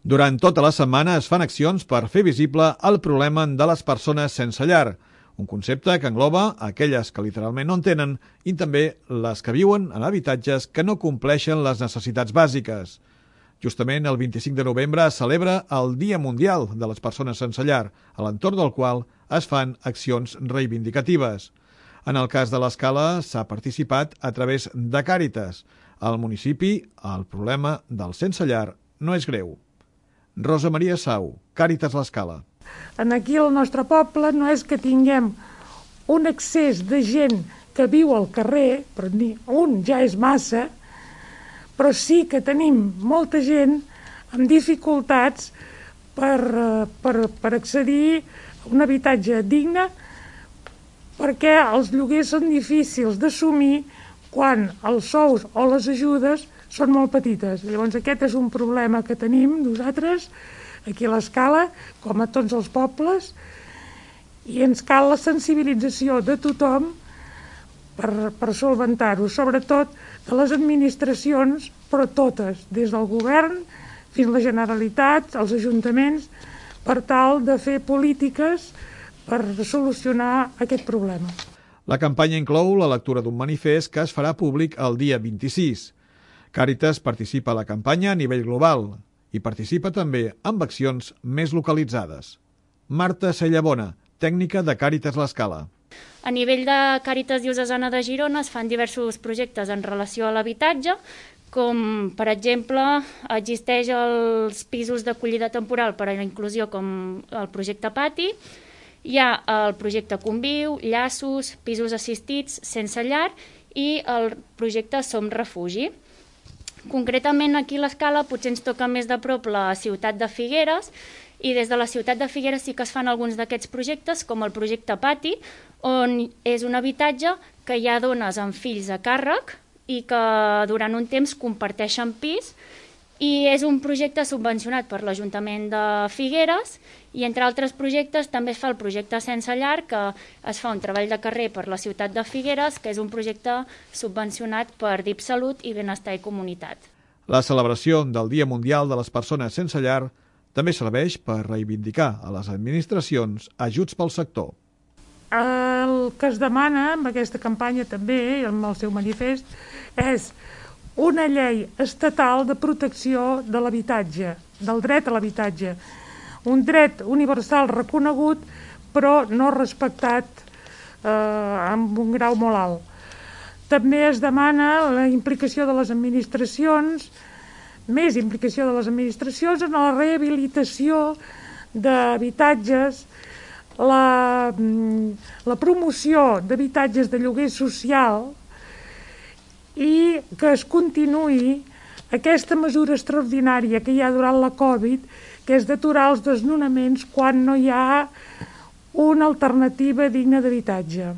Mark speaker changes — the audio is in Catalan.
Speaker 1: Durant tota la setmana es fan accions per fer visible el problema de les persones sense llar, un concepte que engloba aquelles que literalment no en tenen i també les que viuen en habitatges que no compleixen les necessitats bàsiques. Justament el 25 de novembre es celebra el Dia Mundial de les Persones Sense Llar, a l'entorn del qual es fan accions reivindicatives. En el cas de l'Escala s'ha participat a través de Càritas. Al municipi, el problema del sense llar no és greu. Rosa Maria Sau, Càritas l'Escala.
Speaker 2: Aquí al nostre poble no és que tinguem un excés de gent que viu al carrer, però ni un ja és massa, però sí que tenim molta gent amb dificultats per accedir a un habitatge digne, perquè els lloguers són difícils d'assumir quan els sous o les ajudes són molt petites. Llavors aquest és un problema que tenim nosaltres aquí a l'Escala, com a tots els pobles, i ens cal la sensibilització de tothom per solventar-ho, sobretot de les administracions, però totes, des del govern fins a la Generalitat, els ajuntaments, per tal de fer polítiques per solucionar aquest problema.
Speaker 1: La campanya inclou la lectura d'un manifest que es farà públic el dia 26. Càritas participa a la campanya a nivell global i participa també amb accions més localitzades. Marta Sellabona, tècnica de Càritas l'Escala.
Speaker 3: A nivell de Càritas Diocesana de Girona es fan diversos projectes en relació a l'habitatge, com, per exemple, existeix els pisos d'acollida temporal per a la inclusió com el projecte Pati, hi ha el projecte Conviu, Llaços, pisos assistits sense llar i el projecte Som Refugi. Concretament aquí a l'Escala potser ens toca més de prop la ciutat de Figueres i des de la ciutat de Figueres sí que es fan alguns d'aquests projectes, com el projecte Pati, on és un habitatge que hi ha dones amb fills a càrrec i que durant un temps comparteixen pis, i és un projecte subvencionat per l'Ajuntament de Figueres i entre altres projectes també es fa el projecte Sense Llar, que es fa un treball de carrer per la ciutat de Figueres, que és un projecte subvencionat per DIP Salut i Benestar i Comunitat.
Speaker 1: La celebració del Dia Mundial de les Persones Sense Llar també serveix per reivindicar a les administracions ajuts pel sector.
Speaker 2: El que es demana amb aquesta campanya també, amb el seu manifest, és una llei estatal de protecció de l'habitatge, del dret a l'habitatge. Un dret universal reconegut, però no respectat amb un grau molt alt. També es demana la implicació de les administracions, més implicació de les administracions en la rehabilitació d'habitatges, la promoció d'habitatges de lloguer social i que es continuï aquesta mesura extraordinària que hi ha durant la Covid, que és d'aturar els desnonaments quan no hi ha una alternativa digna d'habitatge.